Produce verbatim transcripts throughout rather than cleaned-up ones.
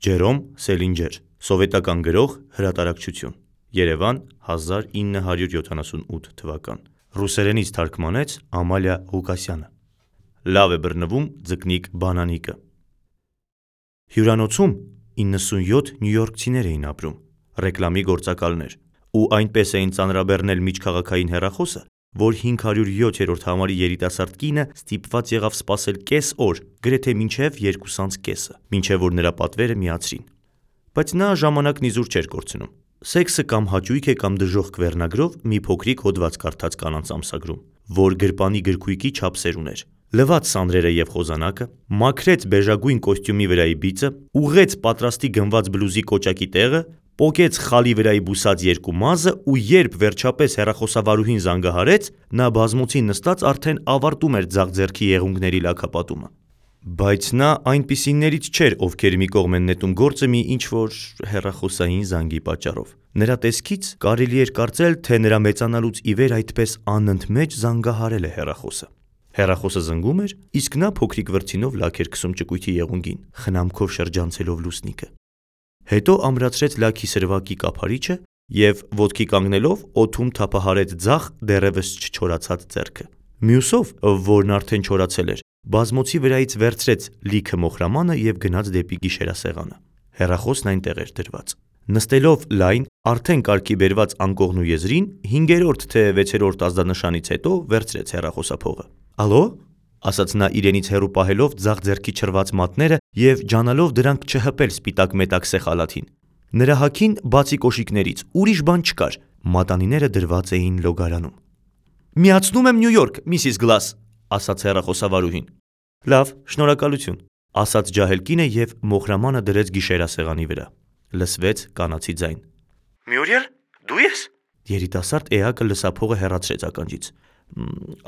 Ջերոմ Սելինջեր, սովետական գրող, հրատարակչություն, Երևան հազար ինը հարյուր յոթանասունութ թվական, ռուսերենից թարգմանեց Ամալիա Ղուկասյանը, լավ է բռնվում ձկնիկ բանանիկը։ Հյուրանոցում իննսունյոթ նյույորքցիներ էին ապրում, ռեկլամի գործակալներ, ու այնպես էին ծանրաբեռնել միջքաղաքային հեռախոսը, որ հինգ հարյուր յոթերորդ համարի երիտասարդ կինը ստիպված եղավ սպասել կես օր, գրեթե մինչև երկուսանց կեսը, մինչև որ նրա պատվերը միացրին։ Բայց նա ժամանակն իզուր չէր կորցնում։ Սեքսը կամ հաճույք է կամ դժոխք վերնագրով մի փոքրիկ հոդված կարդաց կանանց ամսագրում, որ գրպանի գրքույկի չափսեր ուներ։ Լվաց սանրերը եւ խոզանակը, մաքրեց բեժագույն կոստյումի վրայի բիծը, ուղղեց պատրաստի գնված բլուզի կոճակի տեղը, պոկեց խալի վրայի բուսած երկու մազը ու երբ վերջապես հեռախոսավարուհին զանգահարեց, նա բազմոցին նստած արդեն ավարտում էր ձախ ձեռքի եղունգների լաքապատումը։ Բայց նա այնպիսիներից չէր, ովքեր մի կողմ են նետում գործը մի ինչ-որ հեռախոսային զանգի պատճառով։ Նրա տեսքից կարելի էր կարծել, թե նրա մեծանալուց ի վեր այդպես անընդմեջ զանգահարել է հեռախոսը։ Հեռախոսը զնգում էր, իսկ նա փոքրիկ վրձինով լաք էր քսում ճկույթի եղունգին, խնամքով շրջանցելով լուսնիկը։ Հետո ամրացրեց լաքի սրվակի կափարիչը և ոտքի կանգնելով օդում թափահարեց ձախ դեռևս չչորացած ձեռքը։ Մյուսով, որն արդեն չորացել էր, բազմոցի վրայից վերցրեց լիքը մոխրամանը և գնաց դեպի գիշերասեղանը։ Հեռախոսն այնտեղ էր դրված։ Նստելով լայն, արդեն կարգի բերված անկողնու եզրին, հինգերորդ թե վեցերորդ ազդանշանից հետո վերցրեց հեռախոսափողը։ Ալո, ասաց նա իրենից հեռու պահելով ձախ ձեռքի չռված մատները և ջանալով դրանք չհպել սպիտակ մետաքսե խալաթին։ Նրա հագին, բացի կոշիկներից, ուրիշ բան չկար, մատանիները դրված էին լոգարանում։ Միացնում եմ Նյու Յորք, միսիս Գլաս, ասաց հեռախոսավարուհին։ Լավ, շնորհակալություն, ասաց ջահել կինը և մոխրամանը դրեց գիշերասեղանի վրա։ Լսվեց կանացի ձայն։ Մյուրիել, դու ես։ Երիտասարդ էակը լսափողը հեռացրեց ականջից։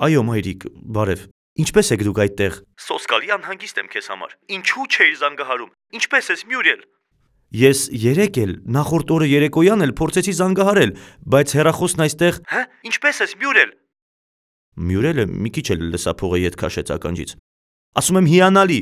Այո, մայրիկ, բարև։ Ինչպե՞ս եք դուք այդտեղ։ Սոսկալի անհանգիստ եմ քեզ համար։ Ինչու չէիր զանգահարում։ Ինչպե՞ս ես, Մյուրիել։ Ես երեկ էլ, նախորդ օրը երեկոյան էլ փորձեցի զանգահարել, բայց հեռախոսն այստեղ։ Հը, ինչպե՞ս ես, Մյուրել։ Մյուրելը մի քիչ էլ լսափողը ետ քաշեց ականջից։ Ասում եմ հիանալի,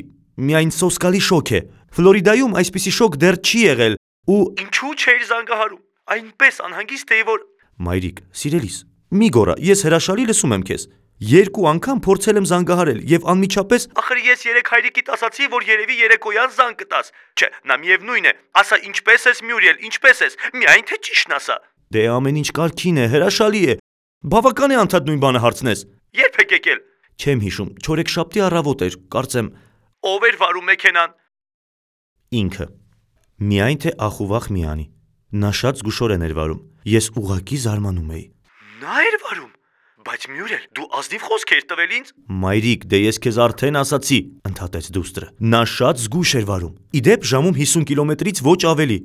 միայն սոսկալի շոկ է։ Ֆլորիդայում այսպիսի շոկ դեռ չի եղել, ու ինչու չէիր զանգահարում։ Այնպես անհանգիստ էի, որ Մայրիկ, սիրելիս, մի գոռա, ես հրաշալի լսում եմ քեզ։ Երկու անգամ փորձել եմ զանգահարել եւ անմիջապես Ախր ես երեք հայրիկիդ ասացի, որ երևի երեկոյան զանգ կտաս։ Չէ, նա միևնույն է։ Ասա ինչպես ես, Մյուրիել, ինչպես ես։ Միայն թե ճիշտն ասա։ Դե ամեն ինչ կարգին է, հրաշալի է։ Բավական է անդադ նույն բանը հարցնես։ Երբ եք եկել։ Չեմ հիշում, չորեքշաբթի առավոտ էր, կարծեմ։ Ով էր վարում մեքենան։ Ինքը։ Միայն թե ախուվախ միանի։ Նա շատ զգուշորեն էր վարում։ Ես ուղղակի զարմանում էի։ Նա էր վարում։ Բայց Մյուրել, դու ազնիվ խոսք էիր տվել ինձ։ Մայրիկ, դե ես քեզ արդեն ասացի, ընդհատեց դուստրը։ Նա շատ զգույշ էր վարում։ Իդեպ ժամում հիսուն կիլոմետրից ոչ ավելի։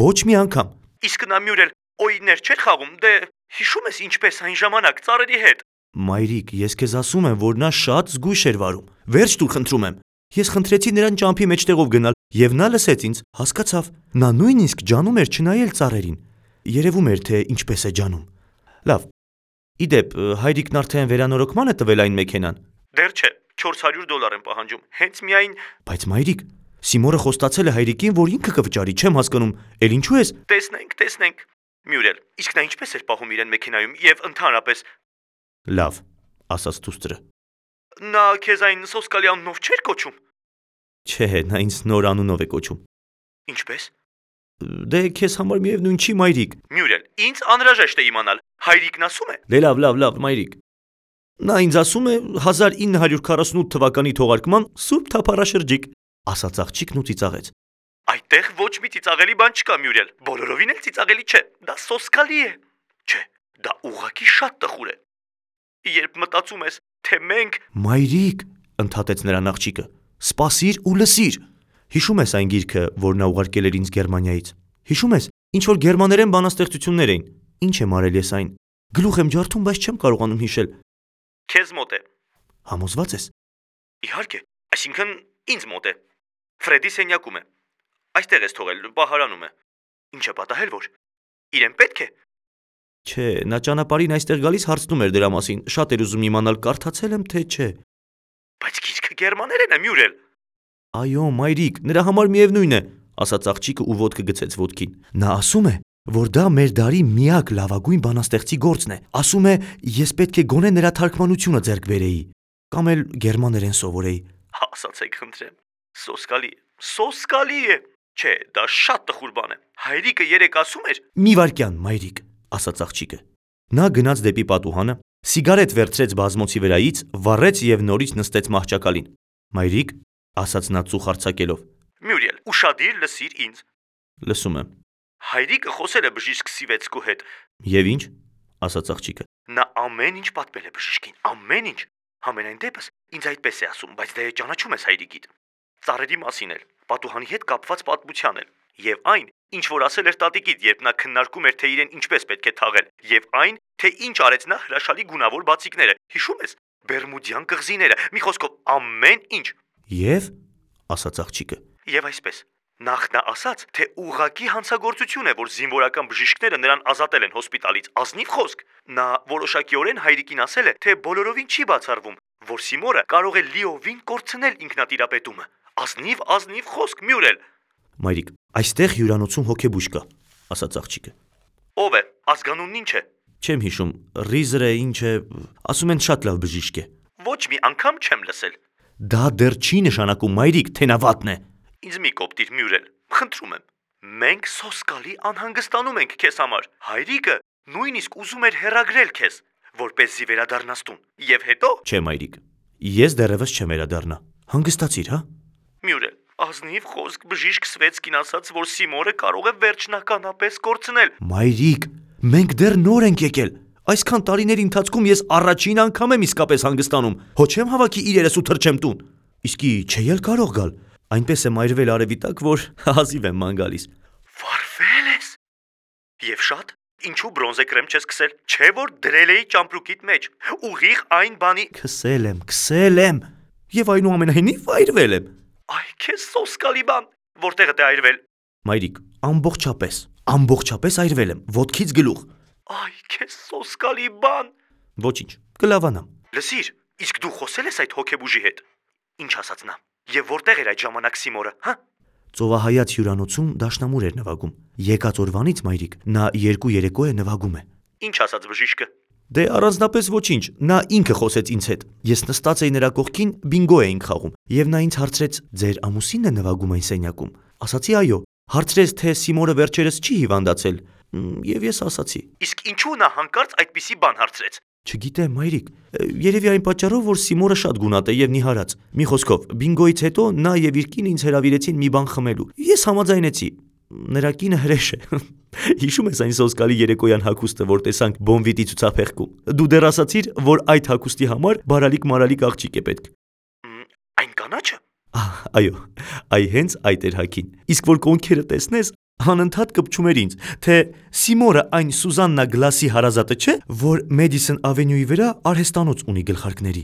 Ոչ մի անգամ։ Իսկ նա Մյուրել, օիներ չէր խաղում, դե հիշում ես ինչպես այն ժամանակ ծառերի հետ։ Մայրիկ, ես քեզ ասում եմ, որ նա շատ զգույշ էր վարում։ Վերջ տուր, խնդրում եմ։ Ես խնդրեցի նրան ճամփի մեջտեղով գնալ, եւ նա լսեց ինձ, հասկացավ։ Նա նույնիսկ ջանում էր չնայել ծառերին։ Երևում էր, թե ինչպես է ջանում։ Լավ։ Իդեպ, հայրիկն արդեն վերանորոգման է տվել այն մեքենան։ Դեռ չէ, չորս հարյուր դոլար եմ պահանջում։ Հենց միայն Բայց մայրիկ, Սիմորը խոստացել է հայրիկին, որ ինքը կվճարի, չեմ հասկանում։ Էլ ինչու ես։ Տեսնենք, տեսնենք։ Մյուրել, իսկ նա ինչպես էր պահում իրեն մեքենայում եւ ընդհանրապես։ Լավ, ասաց դուստրը։ Նա քեզ այն սոսկալի անունով չէր կոչում։ Չէ, նա ինձ նոր անունով է կոչում։ Ինչպես։ Դե քեզ համար միևնույն չի, մայրիկ։ Մյուրել, ինձ անհրաժեշտ է իմանալ։ Հայրիկն ասում է։ Դե լավ, լավ, լավ, մայրիկ։ Նա ինձ ասում է հազար ինը հարյուր քառասունութ թվականի թողարկման Սուրբ Թափառաշրջիկ, ասաց աղջիկն ու ծիծաղեց։ Այդտեղ ոչ մի ծիծաղելի բան չկա, Մյուրել։ Բոլորովին էլ ծիծաղելի չէ։ Դա սոսկալի է։ Չէ, դա ուղղակի շատ տխուր է։ Երբ մտածում ես, թե մենք Մայրիկ, ընդհատեց նրան աղջիկը, սպասիր ու լսիր։ Հիշում ես այն գիրքը, որ նա ուղարկել էր ինձ Գերմանիայից։ Հիշում ես, ինչ որ գերմաներեն բանաստեղծություններ էին։ Ինչ եմ արել ես այն։ Գլուխ եմ ջարդում, բայց չեմ կարողանում հիշել։ Քեզ մոտ է։ Համոզված ես։ Իհարկե, այսինքն ինձ մոտ է։ Ֆրեդի սենյակում է։ Այստեղ ես թողել, բահարանում է։ Ինչ է պատահել, որ իրեն պետք է։ Չէ, նա ճանապարհին այստեղ գալիս հարցնում էր դրա մասին, շատ էր ուզում իմանալ կարդացել եմ թե չէ։ Բայց գիրքը գերմաներեն է, Մյուրել։ Այո, մայրիկ, նրա համար միևնույն է, ասաց աղջիկը ու ոտքը գցեց ոտքին։ Նա ասում է, որ դա մեր դարի միակ լավագույն բանաստեղծի գործն է։ Ասում է, ես պետք է գոնե նրա թարգմանությունը ձեռք բերեի, կամ էլ գերմաներեն սովորեի։ Ասացեք խնդրեմ, սոսկալի է, սոսկալի է։ Չէ, դա շատ տխուր բան է։ Հայրիկը երեք ասում էր։ Մի վարքյան, մայրիկ, ասաց աղջիկը։ Նա գնաց դեպի պատուհանը, սիգարետ վերցրեց բազմոցի վրայից, վառեց եւ նորից նստեց մահճակալին։ Մայրիկ, ասաց նա ծուխ արձակելով։ Մյուրիել, ուշադիր լսիր ինձ։ Լսում եմ։ Հայրիկը խոսել է բժիշկ Սիվեցկու հետ։ Եվ ինչ, ասաց աղջիկը։ Նա ամեն ինչ պատմել է բժիշկին, ամեն ինչ։ Համենայն դեպս ինձ այդպես է ասում, բայց դե ճանաչում ես հայրիկիդ։ Ծառերի մասին էլ, պատուհանի հետ կապված պատմության էլ, եւ այն, ինչ որ ասել էր տատիկիդ, երբ նա քննարկում էր, թե իրեն ինչպես պետք է թաղել, եւ այն, թե ինչ արեց նա հրաշալի գունավոր բացիկները։ Հիշում ես, Բերմուդյան կղզիները, մի խոսքով ամեն ինչ։ Եվ, ասաց աղջիկը։ Եվ այսպես, նախ նա ասաց, թե ուղղակի հանցագործություն է, որ զինվորական բժիշկները նրան ազատել են հոսպիտալից, ազնիվ խոսք։ Նա որոշակիորեն հայրիկին ասել է, թե բոլորովին չի բացառվում, որ Սիմորը կարող է լիովին կորցնել ինքնատիրապետումը։ Ազնիվ, ազնիվ խոսք, Մյուրել։ Մայրիկ, այստեղ հյուրանոցում հոգեբույժ կա, ասաց աղջիկը։ Ո՞վ է, ազգանունն ինչ է։ Չեմ հիշում, Ռիզերը ինչ է, ասում են շատ լավ բժիշկ է։ Ոչ մի անգամ չեմ լսել։ Դա դեռ չի նշանակում, մայրիկ, թե նա վատն է։ Ինձ մի կոպտիր, Մյուրել, խնդրում եմ։ Մենք սոսկալի անհանգստանում ենք քեզ համար։ Հայրիկը նույնիսկ ուզում էր հեռագրել քեզ, որպեսզի վերադառնաս տուն։ Եվ հետո։ Չէ, մայրիկ, ես դեռևս չեմ վերադառնա։ Հանգստացիր, հա։ Մյուրել, ազնիվ խոսք բժիշկ Սվեցկին ասաց, որ Սիմորը կարող է վերջնականապես կորցնել։ Մայրիկ, մենք դեռ նոր ենք եկել։ Այսքան տարիների ընթացքում ես առաջին անգամ եմ իսկապես հանգստանում։ Հո չեմ հավաքի իրերս ու թռչեմ տուն։ Իսկի չէի էլ կարող գալ։ Այնպես եմ այրվել արևի տակ, որ հազիվ եմ ման գալիս։ Վարվել ես։ Եվ շատ, ինչու բրոնզե կրեմ չես քսել։ Չէ որ դրել էի ճամպրուկիդ մեջ։ Ուղիղ այն բանի։ Քսել եմ, քսել եմ։ Եվ այնուամենայնիվ այրվել եմ։ Այ քեզ սոսկալի բան։ Որտեղ է այրվել։ Մայրիկ, ամբողջապես, ամբողջապես այրվել եմ, ոտքից գլուխ։ Այ քեզ սոսկալի բան։ Ոչինչ, կլավանամ։ Լսիր, իսկ դու խոսել ես այդ հոգեբուժի հետ։ Ինչ ասաց նա։ Եվ որտեղ էր այդ ժամանակ Սիմորը, հա։ Ծովահայաց հյուրանոցում դաշնամուր էր նվագում։ Եկած օրվանից, մայրիկ, նա երկու երեկո է նվագում է։ Ինչ ասաց բժիշկը։ Դե առանձնապես ոչինչ, նա ինքը խոսեց ինձ հետ։ Ես նստած էի նրա կողքին, բինգո էինք խաղում, եւ նա ինձ հարցրեց. «Ձեր ամուսինն է նվագում այն սենյակում»։ Ասացի այո։ Հարցրեց, թե Սիմորը վերջերս չի հիվանդացել։ Եվ ես ասացի. Իսկ ինչու նա հանկարծ այդպիսի բան հարցրեց։ Չգիտեմ, մայրիկ, երևի այն պատճառով, որ Սիմորը շատ գունատ է եւ նիհարած։ Մի խոսքով, բինգոից հետո նա եւ իր կինը ինձ հրավիրեցին մի բան խմելու։ Ես համաձայնեցի։ Նրա կինը հրեշ է։ Հիշում ես այն սոսկալի երեկոյան հագուստը, որ տեսանք Բոնվիտի ցուցափեղկում։ Դու դեռ ասացիր, որ այդ հագուստի համար բարալիկ-մարալիկ աղջիկ է պետք։ Այն կանաչը։ Այո, այ հենց այդ էր հագին։ Իսկ որ կոնքերը տեսնես, անընդհատ կպչում էր ինձ, թե Սիմորը այն Սուզաննա Գլասի հարազատը չէ, որ Մեդիսոն Ավենյուի վրա արհեստանոց ունի գլխարկների։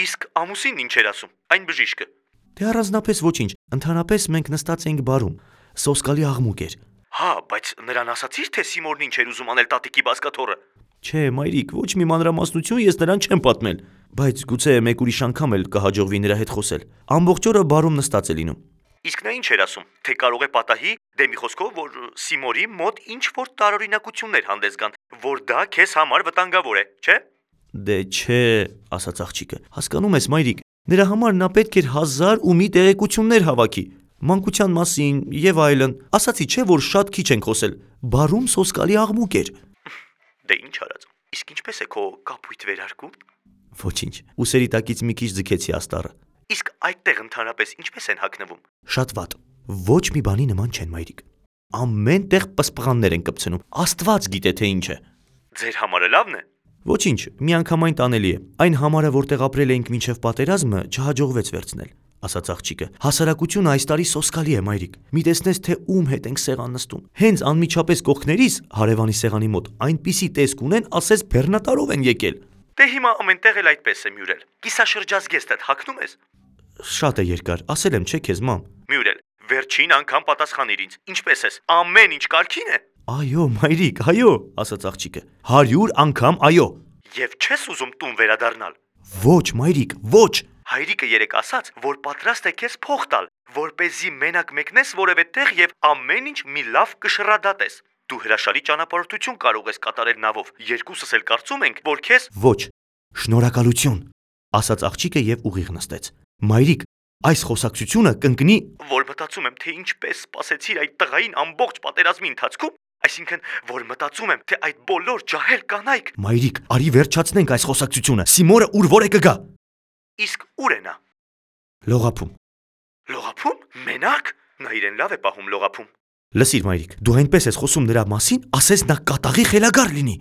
Իսկ ամուսինն ինչ էր ասում, այն բժիշկը։ Դե առանձնապես ոչինչ, ընդհանրապես մենք նստած էինք բարում, սոսկալի աղմուկ էր։ Հա, բայց նրան ասացիր, թե Սիմորն ինչ էր ուզում անել տատիկի բազկաթոռը։ Չէ, մայրիկ, ոչ մի մանրամասնություն ես նրան չեմ պատմել, բայց գուցե մեկ ուրիշ անգամ էլ կհաջողվի նրա հետ խոսել։ Ամբողջ օրը բարում նստած է լինում։ Իսկ նա ինչ էր ասում, թե կարող է պատահի, դե մի խոսքով, որ Սիմորի մոտ ինչ որ տարօրինակություններ հանդես գան, որ դա քեզ համար վտանգավոր է, չէ։ Դե չէ, ասաց աղջիկը։ Հասկանում ես, մայրիկ, նրա համար նա պետք էր հազար ու մի տեղեկություններ հավաքի, մանկության մասին եւ այլն։ Ասացի չէ, որ շատ քիչ ենք խոսել։ Բարում սոսկալի աղմուկ էր։ Դե ինչ արած։ Իսկ ինչպես է քո կապույտ վերարկում։ Ոչինչ։ Ուսերի տակից մի քիչ ձգեցի աստառը։ Իսկ այդտեղ ընդհանրապես ինչպես են հագնվում։ Շատ վատ։ Ոչ մի բանի նման չեն, մայրիկ։ Ամեն տեղ պսպղաններ են կպցնում։ Աստված գիտե թե ինչ է։ Ձեր համարը լավն է։ Ոչինչ, միանգամայն տանելի է։ Այն համարը, որտեղ ապրել էինք մինչև պատերազմը, չհաջողվեց վերցնել, ասաց աղջիկը։ Հասարակությունը այս տարի սոսկալի է, մայրիկ։ Մի տեսնես, թե ում հետ ենք սեղան նստում։ Հենց անմիջապես կողքներիս, հարևանի սեղանի մոտ, այնպիսի տեսք ունեն, ասես բեռնատարով են եկել։ Դե հիմա ամենտեղ էլ այդպես է, Մյուրել։ Կիսաշրջազգեստդ հագնում ես։ Շատ է երկար, ասել եմ, չէ՞ քեզ, մամ։ Մյուրել, վերջին անգամ պատասխանիր ինձ։ Ինչպես ես։ Ամեն ինչ կարգին է։ Այո, մայրիկ, այո, ասաց աղջիկը։ հարյուր անգամ այո։ Եվ չես ուզում տուն վերադառնալ։ Ոչ, մայրիկ, ոչ։ Հայրիկը երեք ասաց, որ պատրաստ է քեզ փող տալ, որպեսզի մենակ մեկնես որևէ տեղ եւ ամեն ինչ մի լավ կշռադատես։ Դու հրաշալի ճանապարհորդություն կարող ես կատարել նավով։ Երկուսս էլ կարծում ենք, որ քեզ Ոչ, շնորհակալություն, ասաց աղջիկը եւ ուղիղ նստեց։ Մայրիկ, այս խոսակցությունը կընկնի, որ մտածում եմ, թե ինչպես սпасեցիր այդ տղային ամբողջ պատերազմի ընթացքում, այսինքն, որ մտածում եմ, թե այդ բոլոր ջահել կանայք։ Մայրիկ, արի վերջացնենք այս խոսակցությունը։ Սիմորը ուր որ է կգա։ Իսկ ուր է նա։ Լողափում։ Լողափում։ Մենակ։ Նա իրեն լավ է պահում լողափում։ Լսիր, մայրիկ, դու այնպես ես խոսում նրա մասին, ասես նա կատաղի խելագար լինի։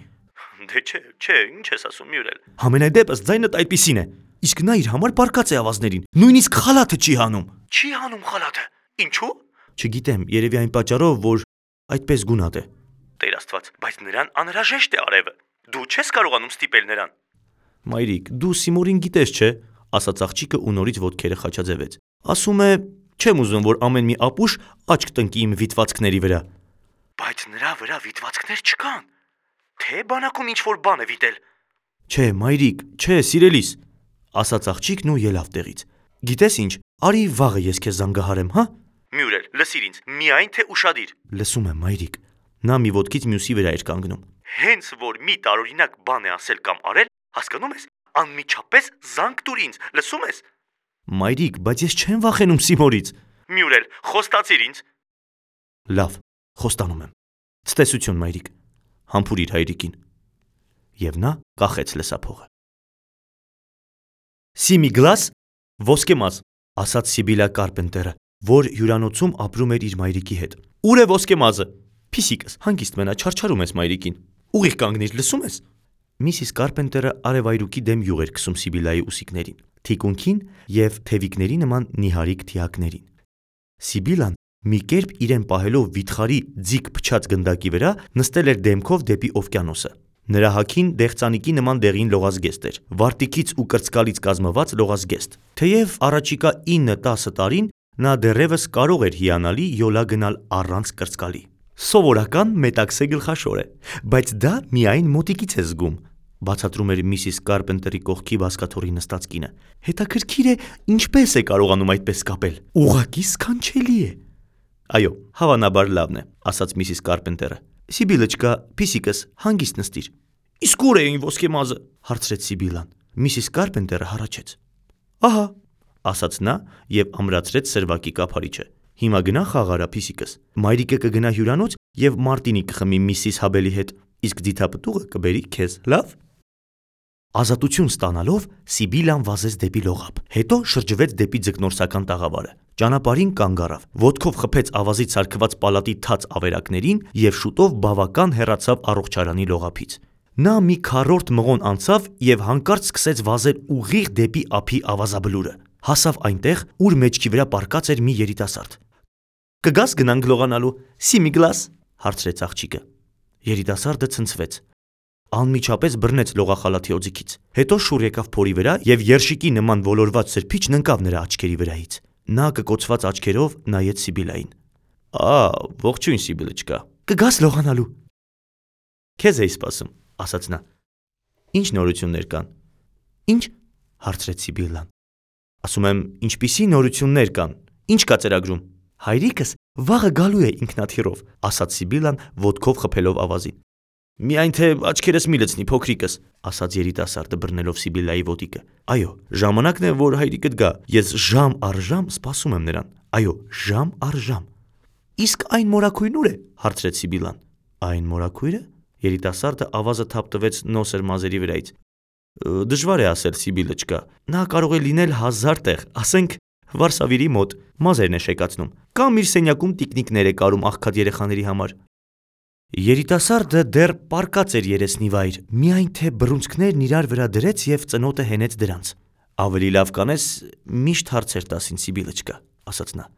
Դե չէ, չէ, ինչ ես ասում, Մյուրել։ Համենայն դեպս ձայնդ այդպիսին է։ Իսկ նա իր համար պարկած է ավազներին, նույնիսկ խալաթը չի հանում։ Չի հանում խալաթը։ Ինչու։ Չգիտեմ, երևի այն պատճառով, որ այդպես գունատ է։ Տեր Աստված, բայց նրան անհրաժեշտ է արևը։ Դու չես կարողանում ստիպել նրան։ Մայրիկ, դու Սիմորին գիտես, չէ, ասաց աղջիկը ու նորից ոտքերը խաչաձևեց։ Ասում է, չեմ ուզում, որ ամեն մի ապուշ աչք տնկի իմ վիտվածքների վրա։ Բայց նրա վրա վիտվածքներ չկան։ Թե բանակում ինչ որ բան է վիտել։ Չէ, մայրիկ, չէ, սիրելիս, ասաց աղջիկն ու ելավ տեղից։ Գիտես ինչ, արի վաղը ես քեզ զանգահարեմ, հա։ Մյուրել, լսիր ինձ, միայն թե ուշադիր։ Լսում եմ, մայրիկ։ Նա մի ոտքից մյուսի վրա էր կանգնում։ Հենց որ մի տարօրինակ բան է ասել կամ արել, հասկանում ես, անմիջապես զանգ տուր ինձ, լսում ես։ Մայրիկ, բայց ես չեմ վախենում Սիմորից։ Մյուրել, խոստացիր ինձ։ Լավ, խոստանում եմ։ Ցտեսություն, մայրիկ։ Համբուրիր հայրիկին։ Եվ նա կախեց լսափողը։ Սիմիգլաս, ոսկեմազ, ասաց Սիբիլա Կարպենտերը, որ հյուրանոցում ապրում էր իր մայրիկի հետ։ Ուր է ոսկեմազը։ Փիսիկս, հանգիստ մնա, չարչարում ես մայրիկին։ Ուղիղ կանգնիր, լսում ես։ Միսիս Կարպենտերը արևայրուկի դեմ յուղ էր քսում Սիբիլայի ուսիկներին, թիկունքին եւ թևիկների նման նիհարիկ թիակներին։ Սիբիլան մի կերպ իրեն պահելով վիթխարի ձիգ փչած գնդակի վրա նստել էր դեմքով դեպի օվկիանոսը։ Նրա հագին դեղցանիկի նման դեղին լողազգեստ էր, վարտիքից ու կրծկալից կազմված լողազգեստ։ Թեև առաջիկա ինը տասը տարին նա դեռևս կարող էր հիանալի յոլա գնալ առանց կրծկալի։ Սովորական մետաքսե գլխաշոր է, բայց դա միայն մոտիկից է զգում, բացատրում էր Միսիս Կարպենտերի կողքի բազկաթոռի նստած կինը։ Հետաքրքիր է, ինչպես է կարողանում այդպես կապել։ Ուղղակի սքանչելի է։ Այո, հավանաբար լավն է, ասաց Միսիս Կարպենտերը։ Սիբիլոչկա, փիսիկս, հանգիստ նստիր։ Իսկ ուր է իմ ոսկեմազը, հարցրեց Սիբիլան։ Միսիս Կարպենտերը հառաչեց։ Ահա, ասաց նա եւ ամրացրեց սրվակի կափարիչը։ Հիմա գնա խաղարա, փիսիկս։ Մայրիկը կգնա հյուրանոց եւ մարտինի կխմի Միսիս Հաբելի հետ, իսկ դիթապտուղը կբերի քեզ, լավ։ Ազատություն ստանալով Սիբիլան վազեց դեպի լողափ, հետո շրջվեց դեպի ձկնորսական տաղավարը։ Ճանապարհին կանգ առավ, ոտքով խփեց ավազից սարքված պալատի թաց ավերակներին եւ շուտով բավական հեռացավ առողջարանի լողափից։ Նա մի քառորդ մղոն անցավ եւ հանկարծ սկսեց վազել ուղիղ դեպի ափի ավազաբլուրը։ Հասավ այնտեղ, ուր մեջքի վրա պառկած էր մի երիտասարդ։ Կգաս գնանք լողանալու, Սիմիգլաս, հարցրեց աղջիկը։ Երիտասարդը ցնցվեց։ Անմիջապես բռնեց լողախալաթի օձիքից։ Հետո շուռ եկավ փորի վրա եւ երշիկի նման ոլորված սրբիչն ընկավ նրա աչքերի վրայից։ Նա կկոցված աչքերով նայեց Սիբիլային։ Ա, ողջույն Սիբիլոչկա։ Կգաս լողանալու։ Քեզ էի սպասում, ասաց նա։ Ինչ նորություններ կան։ Ինչ, հարցրեց Սիբիլան։ Ասում եմ, ինչպիսի նորություններ կան։ Ինչ կա ծրագրում։ Հայրիկս վաղը գալու է ինքնաթիռով, ասաց Սիբիլան ոտքով խփելով ավազին։ Միայն թե աչքերս մի լցնի փոքրիկս, ասաց երիտասարդը բռնելով Սիբիլայի ոտիկը։ Այո, ժամանակն է, որ հայրիկդ գա։ Ես ժամ առ ժամ սպասում եմ նրան։ Այո, ժամ առ ժամ։ Իսկ այն մորաքույրն ուր է, հարցրեց Սիբիլան։ Այն մորաքույրը։ Երիտասարդը ավազը թափ տվեց նոսր մազերի վրայից։ Դժվար է ասել, Սիբիլոչկա։ Նա կարող է լինել հազար տեղ, ասենք Վարշավիրի մոտ, մազերն է շեկացնում, կամ իր սենյակում տիկնիկներ է կարում աղքատ երեխաների համար։ Երիտասարդը դեռ պառկած էր երեսնի վայր, միայն թե բռունցքներն իրար վրա դրեց եւ ծնոտը հենեց դրանց։ Ավելի լավ կանես միշտ հարցեր տասին, Սիբիլոչկա, ասաց նա։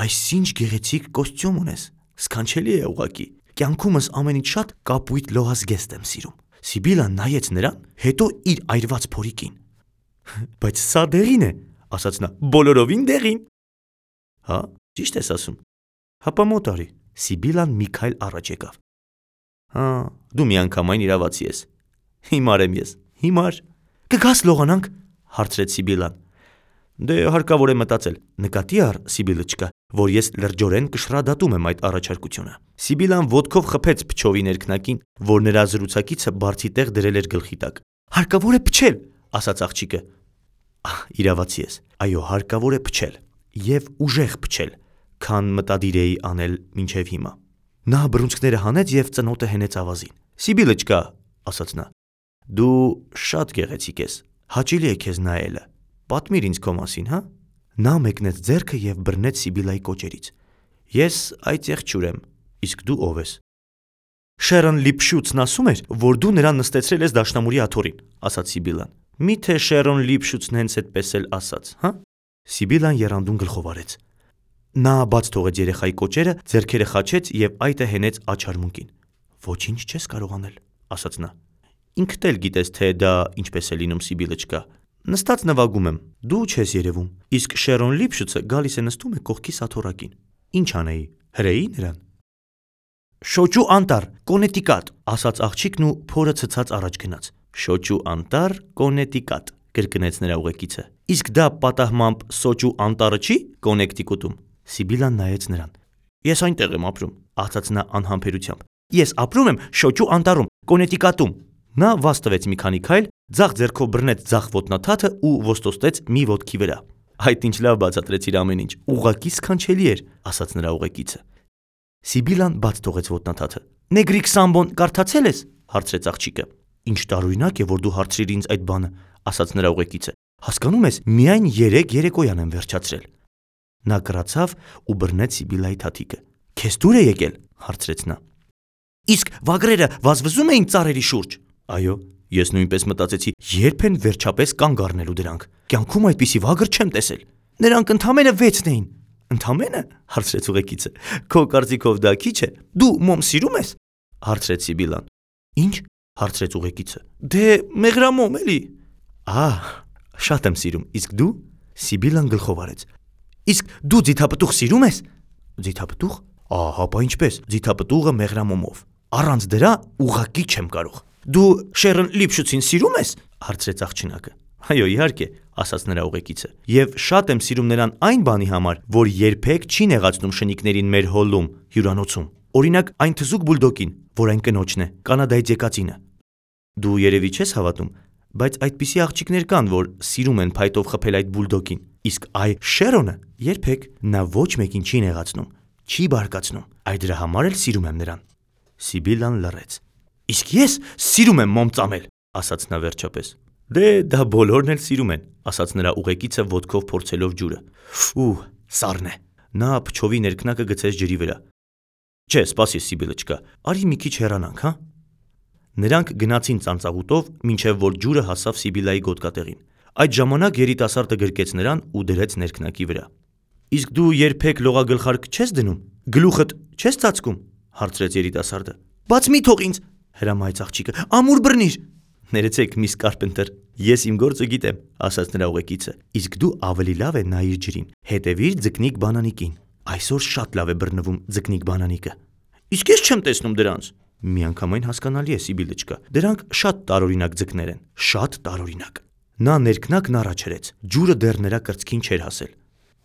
Այսինչ գեղեցիկ կոստյում ունես, սքանչելի է ուղակի։ Կյանքումս ամենից շատ կապույտ լողազգեստ եմ սիրում։ Սիբիլան նայեց նրան, հետո իր այրված փորիկին։ Բայց սա դեղին է, ասաց նա, բոլորովին դեղին։ Հա, ճիշտ ես ասում։ Հապա մոտ արի։ Սիբիլան մի քայլ առաջ եկավ։ Հա, դու միանգամայն իրավացի ես։ Հիմար եմ ես, հիմար։ Կգաս լողանանք, հարցրեց Սիբիլան։ Դե հարկավոր է մտածել։ Նկատի առ, Սիբիլոչկա, որ ես լրջորեն կշռադատում եմ այդ առաջարկությունը։ Սիբիլան ոտքով խփեց փչովի ներքնակին, որ նրա զրուցակիցը բարձի տեղ դրել էր գլխի տակ։ Հարկավոր է փչել, ասաց աղջիկը։ Ահ, իրավացի ես։ Այո, հարկավոր է փչել եւ ուժեղ փչել, քան մտադիր էի անել մինչև հիմա։ Նա բռունցքները հանեց եւ ծնոտը հենեց ավազին։ Սիբիլոչկա, ասաց նա, դու շատ գեղեցիկ ես։ Հաճելի է քեզ նայելը։ Պատմիր ինձ քո մասին, հա։ Նա մեկնեց ձեռքը եւ բռնեց Սիբիլայի կոճերից։ Ես այդ եղջյուր եմ, իսկ դու ով ես։ Շերոն Լիփշուցն ասում էր, որ դու նրան նստեցրել ես դաշնամուրի աթոռին, ասաց Սիբիլան։ Միթե Շերոն Լիփշուցն հենց այդպես էլ ասաց, հա։ Սիբիլան եռանդուն գլխով արեց։ Նա բաց թողեց երեխայի կոճերը, ձեռքերը խաչեց եւ այտը հենեց աչարմունկին։ Ոչինչ չես կարող անել, ասաց նա։ Ինքդ էլ գիտես, թե դա ինչպես է լինում, Սիբիլոչկա։ Նստած նվագում եմ, դու չես երևում, իսկ Շերոն Լիփշուցը գալիս է նստում է կողքիս աթոռակին։ Ինչ անեի, հրեի նրան։ Շոճու անտառ, Կոնետիկատ, ասաց աղջիկն ու փորը ցցած առաջ գնաց։ Շոճու անտառ, Կոնետիկատ, կրկնեց նրա ուղեկիցը։ Իսկ դա պատահմամբ Սոճու անտառը չի Կոնեկտիկուտում։ Սիբիլան նայեց նրան։ Ես այնտեղ եմ ապրում, ասաց նա անհամբերությամբ։ Ես ապրում եմ Շոճու անտառում, Կոնետիկատում։ Նա վազ տվեց մի քանի քայլ, ձախ ձեռքով բռնեց ձախ ոտնաթաթը ու ոստոստեց մի ոտքի վրա։ Այդ ինչ լավ բացատրեցիր ամեն ինչ, ուղղակի սքանչելի էր, ասաց նրա ուղեկիցը։ Սիբիլան բաց թողեց ոտնաթաթը։ Նեգրիկ Սամբոն կարդացել ես, հարցրեց աղջիկը։ Ինչ տարօրինակ է, որ դու հարցրիր ինձ այդ բանը, ասաց նրա ուղեկիցը։ Հասկանում ես, միայն երեք երեկոյան եմ վերջացրել։ Նա կռացավ ու բռնեց Սիբիլայի թաթիկը։ Քեզ դուր է եկել, հարցրեց նա։ Իսկ վագրերը վազվզում էին ծառերի շուրջ։ Այո, ես նույնպես մտածեցի, երբ են վերջապես կանգ առնելու դրանք։ Կյանքում այդպիսի վագր չեմ տեսել։ Նրանք ընդամենը վեցն էին։ Ընդամենը, հարցրեց ուղեկիցը։ Քո կարծիքով դա քիչ է։ Դու մոմ սիրում ես, հարցրեց Սիբիլան։ Ինչ, հարցրեց ուղեկիցը։ Դե մեղրամոմ էլի։ Ահ, շատ եմ սիրում, իսկ դու։ Սիբիլան գլխով արեց։ Իսկ դու ձիթապտուղ սիրում ես։ Ձիթապտուղ։ Ահա, բա ինչպես, ձիթապտուղը մեղրամոմով։ Առանց դրա ուղղակի չեմ կարող։ Դու Շերոն Լիփշուցին սիրում ես, հարցրեց աղջնակը։ Այո, իհարկե, ասաց նրա ուղեկիցը։ Եվ շատ եմ սիրում նրան այն բանի համար, որ երբեք չի նեղացնում շնիկներին մեր հոլում, հյուրանոցում։ Օրինակ, այն թզուկ բուլդոգին, որ այն կնոջն է, Կանադայից եկածինը։ Դու երևի չես հավատում, բայց այդպիսի աղջիկներ կան, որ սիրում են փայտով խփել այդ բուլդոգին։ Իսկ այ Շերոնը երբեք նա ոչ մեկին չի նեղացնում, չի բարկացնում։ Այ դրա համար էլ սիրում եմ նրան։ Սիբիլան լռեց։ Իսկ ես սիրում եմ մոմ ծամել, ասաց նա վերջապես։ Դե դա բոլորն էլ սիրում են, ասաց նրա ուղեկիցը ոտքով փորձելով ջուրը։ Ու, սառն է։ Նա փչովի ներքնակը գցեց ջրի վրա։ Չէ, սպասի, Սիբիլոչկա, արի մի քիչ հեռանանք, հա։ Նրանք գնացին ծանծաղուտով, մինչև որ ջուրը հասավ Սիբիլայի գոտկատեղին։ Այդ ժամանակ երիտասարդը գրկեց նրան ու դրեց ներքնակի վրա։ Իսկ դու երբեք լողագլխարկ չես դնում։ Գլուխդ չես ծածկում, հարցրեց երիտասարդը։ Բաց մի թող ինձ, հրամայեց աղջիկը։ Ամուր բռնիր։ Ներեցեք, միս Կարպենտեր, ես իմ գործը գիտեմ, ասաց նրա ուղեկիցը։ Իսկ դու ավելի լավ է նայիր ջրին։ Հետևիր ձկնիկ բանանիկին։ Այսօր շատ լավ է բռնվում ձկնիկ բանանիկը։ Իսկ ես չեմ տեսնում դրանց։ Միանգամայն հասկանալի է, Սիբիլոչկա։ Դրանք շատ տարօրինակ ձկներ են, շատ տարօրինակ։ Նա ներքնակն առաջրեց։ Ջուրը դեռ նրա կրծքին չէր հասել։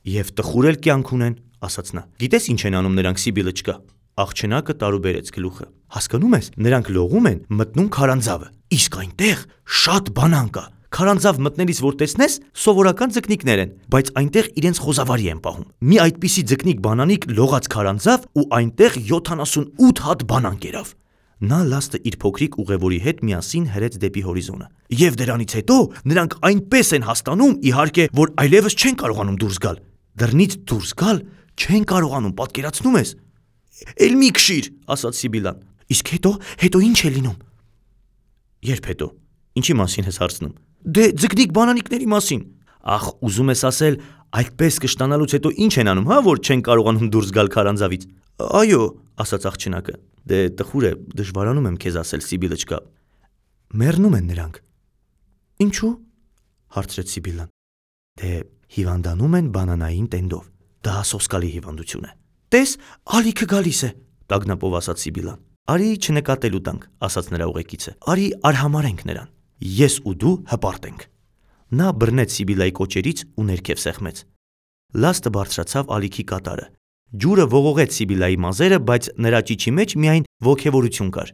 Եվ տխուր էլ կյանք ունեն, ասաց նա։ Գիտես ինչ են անում նրանք, Սիբիլոչկա։ Աղջնակը տարուբերեց գլուխը։ Հասկանում ես, նրանք լողում են, մտնում քարանձավը։ Իսկ այնտեղ շատ բանան կա։ Քարանձավ մտնելիս որ տեսնես, սովորական ձկնիկներ են, բայց այնտեղ իրենց խոզավարի են պահում։ Մի այդպիսի ձկնիկ բանանիկ լողաց քարանձավ ու այնտեղ յոթանասունութ հատ բանան կերավ։ Նա լաստը իր փոքրիկ ուղևորի հետ միասին հրեց դեպի հորիզոնը։ Եվ դրանից հետո նրանք այնպես են հաստանում, իհարկե, որ այլևս չեն կարողանում դուրս գալ։ Դռնից դուրս գալ չեն կարողանում, պատկերացնում ես։ Էլ մի քշիր, ասաց Սիբիլան։ Իսկ հետո, հետո ինչ է լինում։ Երբ հետո։ Ինչի մասին ես հարցնում։ Դե ձկնիկ բանանիկների մասին։ Ախ, ուզում ես ասել, այդպես կշտանալուց հետո ինչ են անում, հա, որ չեն կարողանում դուրս գալ քարանձավից։ Այո, ասաց աղջնակը։ Դե տխուր է, դժվարանում եմ քեզ ասել, Սիբիլոչկա։ Մեռնում են նրանք։ Ինչու՞, հարցրեց Սիբիլան։ Դե հիվանդանում են բանանային տենդով։ Դա սոսկալի հիվանդություն է։ Տես, ալիքը գալիս է, տագնապով ասաց Սիբիլան։ Արի չնկատելու տանք, ասաց նրա ուղեկիցը։ Արի արհամարենք նրան։ Ես ու դու հպարտ ենք։ Նա բռնեց Սիբիլայի կոճերից ու ներքև սեղմեց։ Լաստը բարձրացավ ալիքի կատարը։ Ջուրը ողողեց Սիբիլայի մազերը, բայց նրա ճիչի մեջ միայն ոգևորություն կար։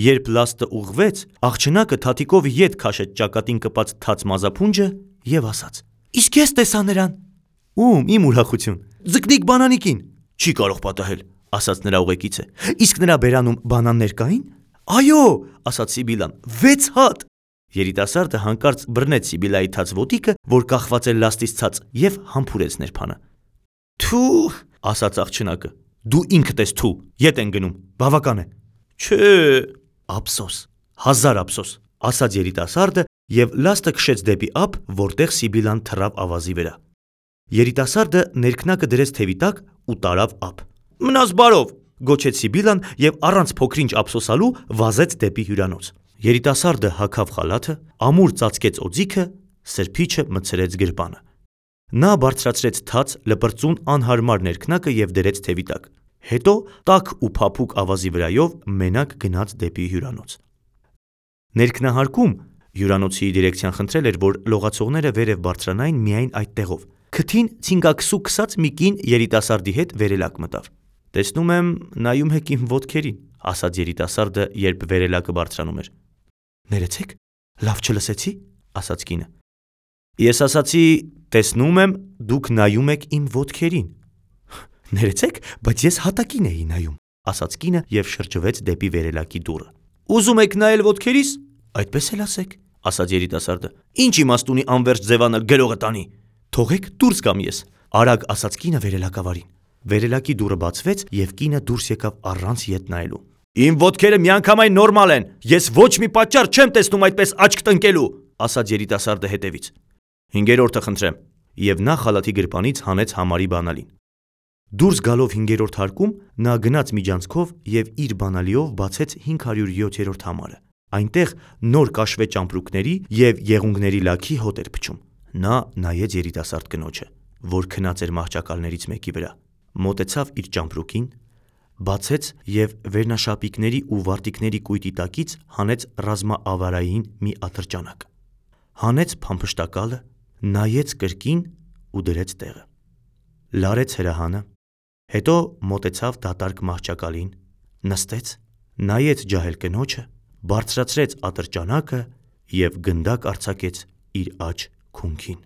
Երբ լաստը ուղղվեց, աղջնակը թաթիկով ետ քաշեց ճակատին կպած թաց մազափունջը և ասաց. «Իսկ ես տեսա նրան»։ Ում իմ ուրախություն։ Ձկնիկ բանանիկին։ Չի կարող պատահել, ասաց նրա ուղեկիցը։ Իսկ նրա բերանում բանաններ կային։ Այո, ասաց Սիբիլան, վեց հատ։ Երիտասարդը հանկարծ բռնեց Սիբիլայի թաց ոտիկը, որ կախված էր լաստից ցած, և համբուրեց նրբանը։ Թու, ասաց աղջնակը, դու ինքդ ես թու, ետ են գնում, բավական է։ Չէ, ափսոս, հազար ափսոս, ասաց երիտասարդը և լաստը քշեց դեպի ափ, որտեղ Սիբիլան թռավ ավազի վրա։ Երիտասարդը ներքնակը դրեց թևի տակ ու տարավ ափ։ Մնաս բարով, գոչեց Սիբիլան և առանց փոքր-ինչ ափսոսալու վազեց դեպի հյուրանոց։ Երիտասարդը հագավ խալաթը, ամուր ծածկեց օձիքը, սրբիչը մտցրեց գրպանը։ Նա բարձրացրեց թաց, լպրծուն անհարմար ներքնակը և դրեց թևի տակ։ Հետո տաք ու փափուկ ավազի վրայով մենակ գնաց դեպի հյուրանոց։ Ներքնահարկում հյուրանոցի դիրեկցիան խնդրել էր, որ լողացողները վերև բարձրանային միայն այդ տեղով։ Քթին ցինկաքսու քսած մի կին երիտասարդի հետ վերելակ մտավ։ Տեսնում եմ, նայում եք իմ ոտքերին, ասաց երիտասարդը, երբ վերելակը բարձրանում էր։ Ներեցեք, լավ չլսեցի, ասաց կինը։ Ես ասացի, տեսնում եմ, դուք նայում եք իմ ոտքերին։ Ներեցեք, բայց ես հատակին էի նայում, ասաց կինը և շրջվեց դեպի վերելակի դուռը։ Ուզում եք նայել ոտքերիս։ Այդպես էլ ասեք, ասաց երիտասարդը։ Ինչ իմաստ ունի անվերջ ձևանալ գրողը տանի։ Թողեք դուրս գամ ես, արագ ասաց կինը վերելակավարին։ Վերելակի դուռը բացվեց և կինը դուրս եկավ առանց ետ նայելու։ Իմ ոտքերը միանգամայն նորմալ են, ես ոչ մի պատճառ չեմ տեսնում այդպես աչք տնկելու, ասաց երիտասարդը հետևից։ Հինգերորդը խնդրեմ, և նա խալաթի գրպանից հանեց համարի բանալին։ Դուրս գալով հինգերորդ հարկում նա գնաց միջանցքով և իր բանալիով բացեց հինգ հարյուր յոթերորդ համարը։ Այնտեղ նոր կաշվե ճամպրուկների և եղունգների լաքի հոտ էր փչում։ Նա նայեց երիտասարդ կնոջը, որ քնած էր մահճակալներից մեկի վրա, մոտեցավ իր ճամպրուկին, բացեց և վերնաշապիկների ու վարտիքների կույտի տակից հանեց ռազմաավարային մի ատրճանակ, հանեց փամփշտակալը, նայեց կրկին ու դրեց տեղը։ Լարեց հրահանը, հետո մոտեցավ դատարկ մահճակալին, նստեց, նայեց ջահել կնոջը, բարձրացրեց ատրճանակը և գնդակ արձակեց իր աջ քունքին։